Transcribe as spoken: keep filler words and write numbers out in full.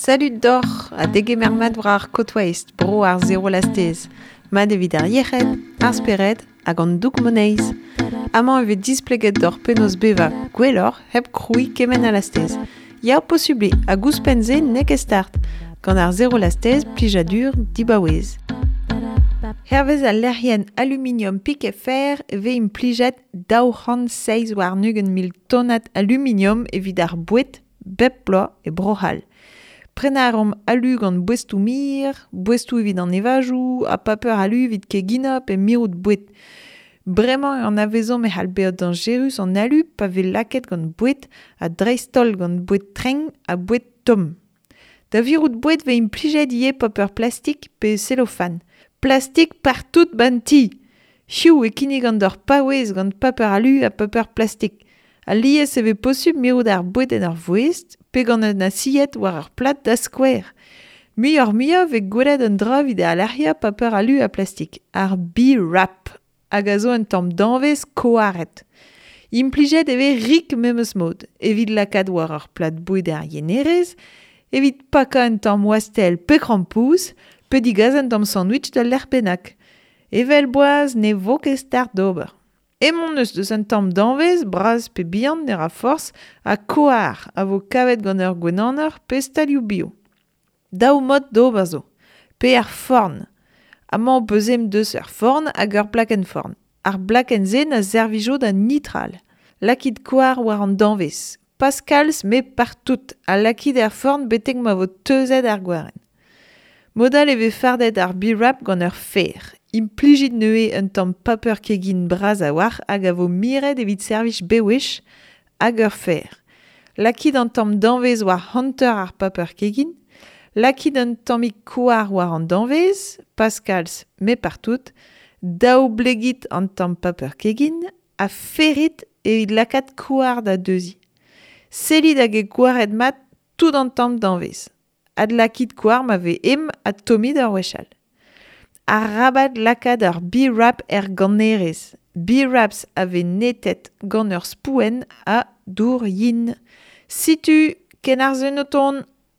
Salut doc'h ha degemer mat war ar Côte Waste, bro ar zero lastez. Mat evit ar yec'hed, ar spered hag an doug moneiz. Amañ e vez displeget d'hor penaos bevañ gwelloc'h hep krouiñ kement a lastez. Ya posubl eo hag ouzhpenn-se n'eo ket start. Gant ar zero lastez, plijadur dibaouez. Hervez al lec'hienn aluminium Picfr e vez implijet daou c'hant seizh warn-ugent mil tonnad aluminium evit ar boued bep bloaz e Bro-C'hall. Prenañ a reomp alu gant boestoù mir, boestoù evit an evajoù, ha paper alu evit keginañ pe mirout boued. Bremañ e anavezomp e c'hall bezañ dañjerus an alu pa vez lakaet gant boued ha dreist-holl gant boued trenk ha boued tomm. Da virout boued vez implijet ivez paper plastik pe cellophane. Plastik partout ba'n ti ! Hiziv e kinnigan deoc'h paouez gant paper alu ha paper plastik. Alies e vez posubl mirout ar boued en ur voest pe gant un asied war ur plad da skouer. Muioc'h-muiañ vez gwelet un dra evit alec'hiañ paper alu ha plastik, ar B-wrap, hag a zo un tamm danvez koaret. Implijet e vez rik memes mod, evit lakaat war ur plad boued er yenerez, evit pakañ un tamm wastell pe krampouezh, pe digas un tamm sandwich d'ul lec'h bennak. Evel boaz ne vo ket start d'ober. Emaon eus deus un tamm danvez, bras pe bihan ne ra forzh, ha koar a vo kavet gant ur gwenaner pe stalioù bio. Daou mod d'ober zo. Pe ar forn. Amañ ho peus ezhomm deus ur forn hag ur blakenn-forn. Ar blakenn-se na servijo da nitral. Lakit koar war an danvez. Pas kalz met partout ha lakit er forn betek ma vo teuzet ar gwarenn. Mod all e vez fardet ar B-wrap gant ur fer. Implijit neuze un tamm paper kegin bras a-walc'h hag a vo miret evit servij bewech hag ur fer. Lakit an tamm danvez war hanter ar paper kegin. Lakit un tammig koar war an danvez, pas kalz met partout. Daou blegit an tamm paper kegin ha ferrit evit lakaat koar da deuziñ. Sellit hag eo koaret mat tout an tamm danvez. Adlakit koar ma vez ezhomm ha tommit ur wech all. Arabat lakaat ar B-wrap er gannerez. B-wraps a vez netet gant ur spouenn ha dour yen. Setu ken ar sun o tont.